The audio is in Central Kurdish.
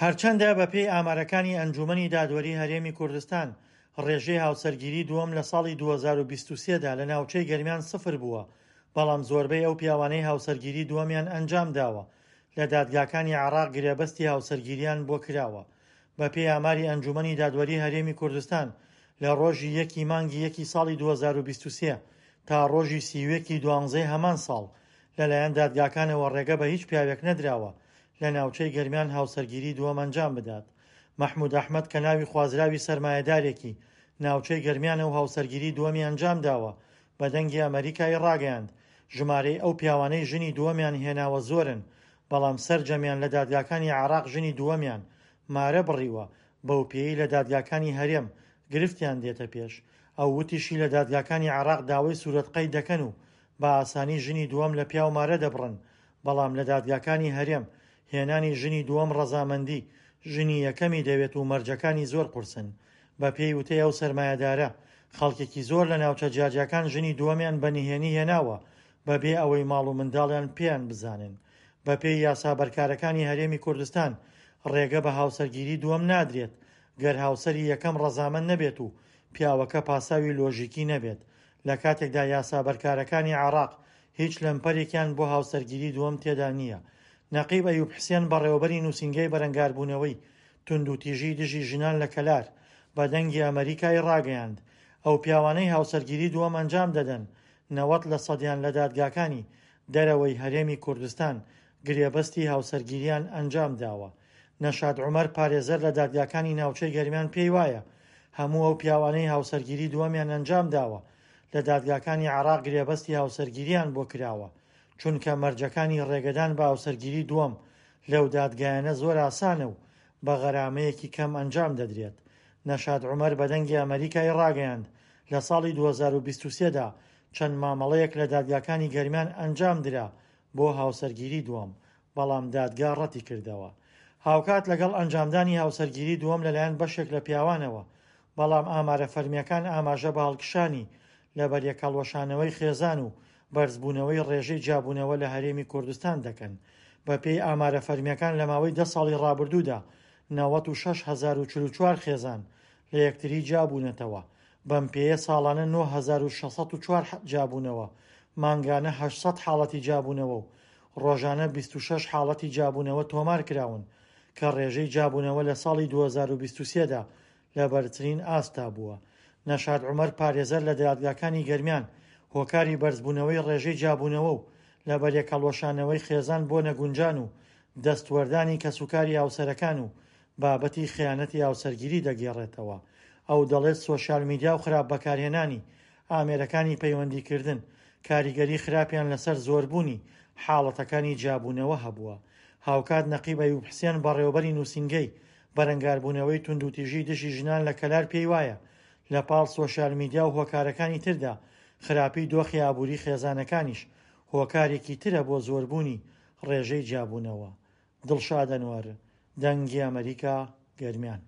هەرچەندە بەپێی ئامارەکانی ئەنجوومەنی دادوەری هەرێمی کوردستان، ڕێژەی هاوسەرگیری دووەم لە ساڵی 2023 دا لە ناوچەی گەرمیان سفر بووە، بەڵام زۆربەی ئەو پیاوانەی هاوسەرگیری دووەمیان ئەنجامداوە لە دادگاکانی عێراق گرێبەستی هاوسەرگیریان بۆ کراوە. بەپێی ئاماری ئەنجوومەنی دادوەری هەرێمی کوردستان لە ڕۆژی یەکی مانگی یەکی ساڵی 2023 تا ڕۆژی 31 ی دوانزەی هەمان ساڵ لەلایەن دادگاکانەوە ڕێگە بە هیچ پیاوێک نەدراوە لە ناوچەی گەرمیان هاوسەرگیری دووەم ئەنجام بدات. مەحمود ئەحمەد کە ناوی خوازراوی سەرمایەدارێکی ناوچەی گەرمیانە و هاوسەرگیری دووەمی ئەنجام داوە، بە دەنگی ئەمەریکای ڕاگەیاند، ژمارەی ئەو پیاوانەی ژنی دووەمیان هێناوە زۆرن، بەڵام سەرجەمیان لە دادگاکانی عێراق ژنی دووەمیان مارە بڕیوە، بەوپێیەی لە دادگاکانی هەرێم گرفتیان دێتە پێش. ئەو وتیشی لە دادگاکانی عێراق داوای سورەت قەید دەکەن و بە ئاسانی ژنی دووەم لە پیاو مارە دەبڕن، بەڵام لە دادگاکانی هەرێم هێنانی ژنی دووەم ڕەزامەندی ژنی یەکەمی دەوێت و مەرجەکانی زۆر قورسن. بەپێی وتەی ئەو سەرمایەدارە، خەڵکێکی زۆر لە ناوچە جیاجیاکان ژنی دووەمیان بە نهێنی هێناوە بەبێ ئەوەی ماڵ و منداڵیان پێیان بزانن. بەپێی یاسا بەرکارەکانی هەرێمی کوردستان ڕێگە بە هاوسەرگیری دووەم نادرێت گەر هاوسەری یەکەم ڕەزامەند نەبێت و پیاوەکە پاساوی لۆژیکی نەبێت، لە کاتێکدا یاسا بەرکارەکانی عێراق هیچ لەمپەرێکیان بۆ هاوسەرگیری دووەم تێدا نییە. نەقیب ئەیوب حسێن بەڕێوەبەری نووسینگەی بەرەنگاربوونەوەی توندوتیژی دژی ژنان لە کەلار بە دەنگی ئەمەریکای ڕاگەیاند، ئەو پیاوانەی هاوسەرگیری دووەم ئەنجام دەدەن 90 لە سەدیان لە دادگاکانی دەرەوەی هەرێمی کوردستان گرێبەستی هاوسەرگیریان ئەنجام داوە. نەشاد عومەر پارێزەر لە دادگاکانی ناوچەی گەرمیان پێی وایە هەموو ئەو پیاوانەی هاوسەرگیری دووەمیان ئەنجام داوە لە دادگاکانی عێراق گرێبەستی هاوسەرگیریان بۆ کراوە، چونکە مەرجەکانی ڕێگەدان بە هاوسەرگیری دووەم لەو دادگایانە زۆر ئاسانە و بە غەرامەیەکی کەم ئەنجام دەدرێت. نەشاد عومەر بە دەنگی ئەمەریکای ڕاگەیاند، لە ساڵی 2023 دا چەند مامەڵەیەک لە دادگاکانی گەرمیان ئەنجام درا بۆ هاوسەرگیری دووەم، بەڵام دادگا ڕەتیکردەوە. هاوکات لەگەڵ ئەنجامدانی هاوسەرگیری دووەم لەلایەن بەشێک لە پیاوانەوە، بەڵام ئامارە فەرمییەکان ئاماژە بە هەڵکشانی لەبەریەکهەڵوەشانەوەی خێزان و بەرزبوونەوەی ڕێژەی جیابوونەوە لە هەرێمی کوردستان دەکەن. بەپێی ئامارە فەرمییەکان لە ماوەی دە ساڵی ڕابردوودا 96,044 خێزان لە یەکتری جیابوونەتەوە، بەم پێیە ساڵانە 9604 جیابوونەوە، مانگانە 800 حاڵەتی جیابوونەوە و ڕۆژانە 26 حاڵەتی جیابوونەوە تۆمارکراون کە ڕێژەی جیابوونەوە لە ساڵی 2023 دا لە بەرزترین ئاستدا بووە. نەشاد عومەر پارێزەر لە دادگاکانی گەرمیان هۆکاری بەرزبوونەوەی ڕێژەی جیابوونەوە و لەبەریەکهەڵوەشانەوەی خێزان بۆ نەگونجان و دەستوەردانی کەسوکاری هاوسەرەکان و بابەتی خیانەتی هاوسەرگیری دەگێڕێتەوە. ئەو دەڵێت سۆشیال میدیا و خراپ بەکارهێنانی ئامێرەکانی پەیوەندیکردن کاریگەری خراپیان لەسەر زۆربوونی حاڵەتەکانی جیابوونەوە هەبووە. هاوکات نەقیب ئەیوب حسێن بەڕێوەبەری نووسینگەی بەرەنگاربوونەوەی توندوتیژی دژی ژنان لە کەلار پێی وایە لە پاڵ سۆشیال میدیا و هۆکارەکانی تردا خراپی دۆخی ئابووری خێزانەکانیش هۆکارێکی ترە بۆ زۆربوونی ڕێژەی جیابوونەوە. دڵشاد ئەنوەر، دەنگی ئەمەریکا، گەرمیان.